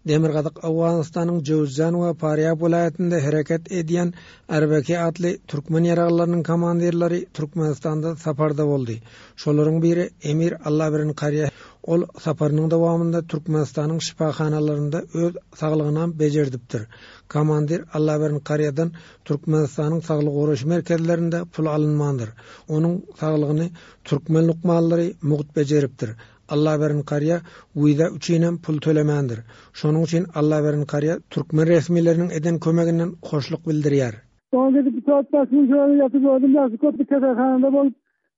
Demirgazyk Owganystanyň Jöwüzjan we Farýab welaýatynda hereket edýän Arbeki atly türkmen ýaraglylarynyň komandirleri Türkmenistanda saparda boldy. Şolaryň biri Emir Allabirin Karýa. Ol saparynyň dowamynda Türkmenistanyň şypahanalarynda öz saglygynam bejerdipdir. Komandir Allabirin Karýadan Türkmenistanyň saglygy goraýyş merkezlerinde pul alynmandyr. Onuň saglygyny türkmen lukmanlary mugt bejeripdir. Allaberin Karýa wiza üçinem pul tölemändir. Şonuň üçin Allaberin Karýa türkmen resmileriniň eden kömeginden hoşluk bildirýär. Soňra gidip bir saat bäş gün şöyle ýatyp gördüm, ýagşy köp bir keselhanada bolup,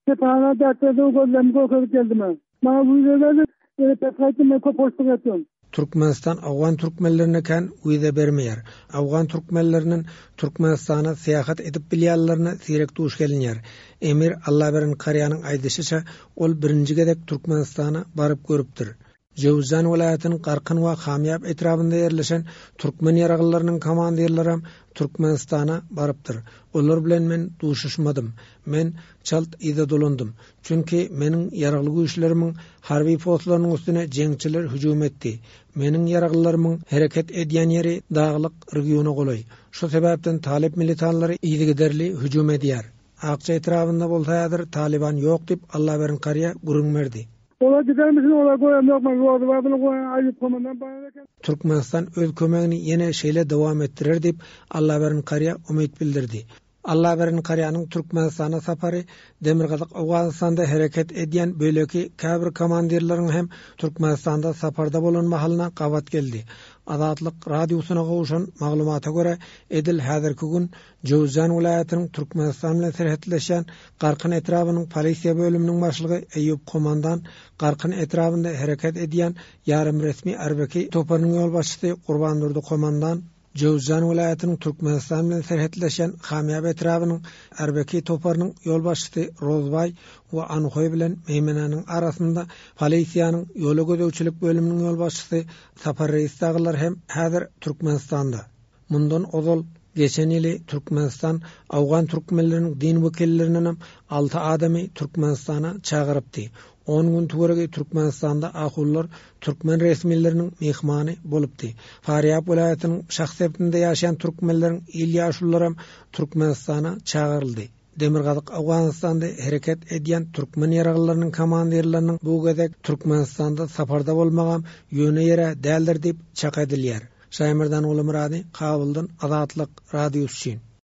keselhana däkderde gözlerimi görkezip geldim. Maňa wiza berdi, ýene pes gaýtdym, men köp hoşluk etdim. Türkmenistan owgan türkmenlerine kän wiza bermeýär. Owgan türkmenleriniň Türkmenistana syýahat edip bilýänlerine seýrek duş gelinýär. Emir Allaberen Karýanyň aýdyşyça, ol birinji gezek Türkmenistana baryp görüpdir. Jöwüzjan welaýatynyň Garkyn we Hamýap etrabynda ýerleşen türkmen ýaraglylarynyň komandirlerem Türkmenistana barypdyr. Olar bilen men duşuşmadym. Men çalt yza dolandym. Çünki meniň ýaragly güýçlerimiň harby postlarynyň üstüne jeňçiler hüjüm etdi. Meniň ýaraglylarymyň hereket edýän ýeri daglyk regiona golaý. Şu sebäpden talyp militanlary yzygiderli hüjüm edýär. Akja etrabynda bolsa häzir Talyban ýok diýip, Allaberin Karýa gürrüň berdi. Olar gidermişin olar göremok men ýolda bardylar goýan Aýup komandan bar eken. Türkmenistan öz kömegini ýene şeýle dowam etdirer diýip, Allaberin Karýa umyt bildirdi. Allaberin Karýanyň Türkmenistana sapary Demirgazyk Owganystanda hereket edýän beýleki käbir komandirleriň hem Türkmenistanda saparda bolan mahalyna gabat geldi. Azatlyk Radiosyna gowşan maglumata görä, edil häzirki gün Jöwüzjan welaýatynyň Türkmenistan bilen serhetleşýän Garkyn etrabynyň polisiýa bölüminiň başlygy Eýýup Komandan, Garkyn etrabynda hereket edýän ýarym resmi Arbeki toparynyň ýolbaşçysy Gurbandurdy Komandan, Jöwüzjan welaýatynyň Türkmenistan bilen serhetleşýän Hamýap etrabynyň Arbeki toparynyň ýolbaşçysy Rozbaý we Anhoý bilen Meýmenäniň arasynda polisiýanyň ýola gözegçilik bölüminiň ýolbaşçysy Sapar Reýis dagylar hem häzir Türkmenistanda. Mundan ozal, geçen ýyly Türkmenistan owgan türkmenleriniň din wekillerindenem alty adamy Türkmenistana çagyrypdy. On gün töweregi Türkmenistanda ahunlar türkmen resmileriniň myhmany bolupdy. Farýap welaýatynyň Şah sebitinde ýaşaýan türkmenleriň il ýaşulularam Türkmenistana çagyryldy. Demirgazyk Owganystanda hereket edýän türkmen ýaraglylarynyň komandirleriniň bu gezek Türkmenistanda saparda bolmagam ýöne ýere däldir diýip çak edilýär. Şaýmerdan Gulumyrady, Kabuldan Azatlyk Radiosy üçin.